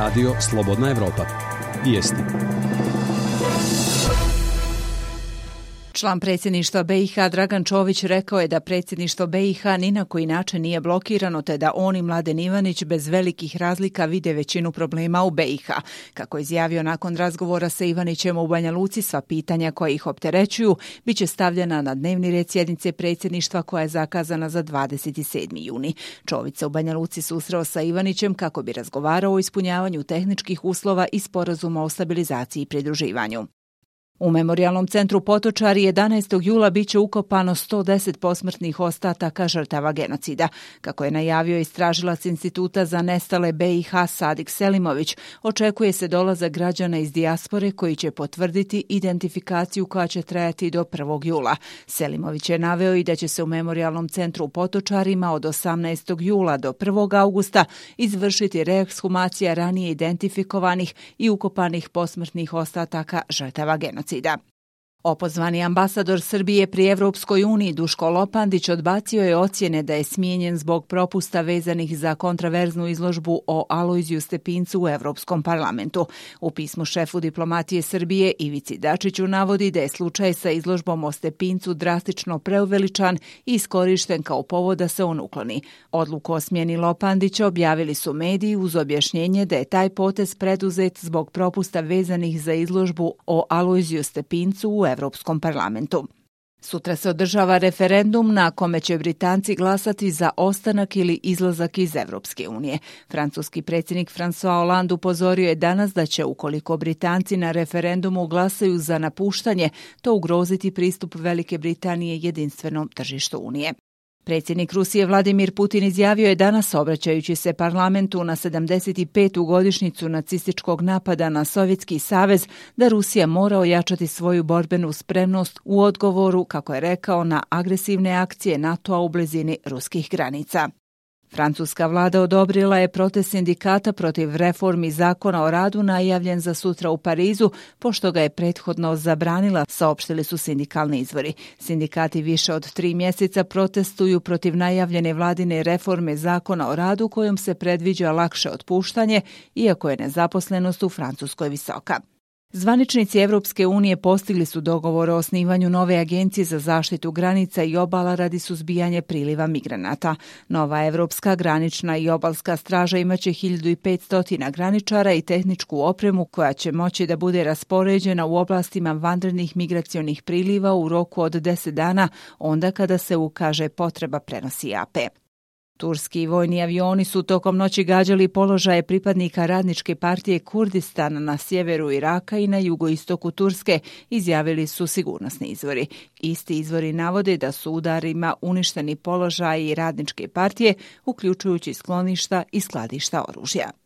Radio Slobodna Evropa. Vijesti. Član predsjedništva BiH Dragan Čović rekao je da predsjedništvo BiH ni na koji način nije blokirano, te da on i Mladen Ivanić bez velikih razlika vide većinu problema u BiH. Kako je izjavio nakon razgovora sa Ivanićem u Banja Luci, sva pitanja koja ih opterećuju bit će stavljena na dnevni red sjednice predsjedništva koja je zakazana za 27. juni. Čović se u Banja Luci susreo sa Ivanićem kako bi razgovarao o ispunjavanju tehničkih uslova i sporazuma o stabilizaciji i pridruživanju. U Memorijalnom centru Potočari 11. jula biće ukopano 110 posmrtnih ostataka žrtava genocida. Kako je najavio istražilac Instituta za nestale BiH Sadik Selimović, očekuje se dolazak građana iz dijaspore koji će potvrditi identifikaciju koja će trajati do 1. jula. Selimović je naveo i da će se u Memorijalnom centru u Potočarima od 18. jula do 1. augusta izvršiti reekshumacija ranije identifikovanih i ukopanih posmrtnih ostataka žrtava genocida. Opozvani ambasador Srbije pri Evropskoj uniji Duško Lopandić odbacio je ocjene da je smijenjen zbog propusta vezanih za kontraverznu izložbu o Alojziju Stepincu u Evropskom parlamentu. U pismu šefu diplomatije Srbije Ivici Dačiću navodi da je slučaj sa izložbom o Stepincu drastično preuveličan i iskorišten kao povod da se on ukloni. Odluku o smjeni Lopandića objavili su mediji uz objašnjenje da je taj potez preduzet zbog propusta vezanih za izložbu o Alojziju Stepincu u Evropskom parlamentu. Sutra se održava referendum na kome će Britanci glasati za ostanak ili izlazak iz Evropske unije. Francuski predsjednik François Hollande upozorio je danas da će, ukoliko Britanci na referendumu glasaju za napuštanje, to ugroziti pristup Velike Britanije jedinstvenom tržištu Unije. Predsjednik Rusije Vladimir Putin izjavio je danas, obraćajući se parlamentu na 75. godišnjicu nacističkog napada na Sovjetski savez, da Rusija mora ojačati svoju borbenu spremnost u odgovoru, kako je rekao, na agresivne akcije NATO-a u blizini ruskih granica. Francuska vlada odobrila je protest sindikata protiv reformi zakona o radu najavljen za sutra u Parizu, pošto ga je prethodno zabranila, saopštili su sindikalni izvori. Sindikati više od 3 mjeseca protestuju protiv najavljene vladine reforme zakona o radu kojom se predviđa lakše otpuštanje, iako je nezaposlenost u Francuskoj visoka. Zvaničnici Evropske unije postigli su dogovor o osnivanju nove agencije za zaštitu granica i obala radi suzbijanja priliva migranata. Nova Evropska granična i obalska straža imaće 1500 graničara i tehničku opremu koja će moći da bude raspoređena u oblastima vanrednih migracionih priliva u roku od 10 dana, onda kada se ukaže potreba, prenosi AP. Turski vojni avioni su tokom noći gađali položaje pripadnika Radničke partije Kurdistana na sjeveru Iraka i na jugoistoku Turske, izjavili su sigurnosni izvori. Isti izvori navode da su udarima uništeni položaji Radničke partije, uključujući skloništa i skladišta oružja.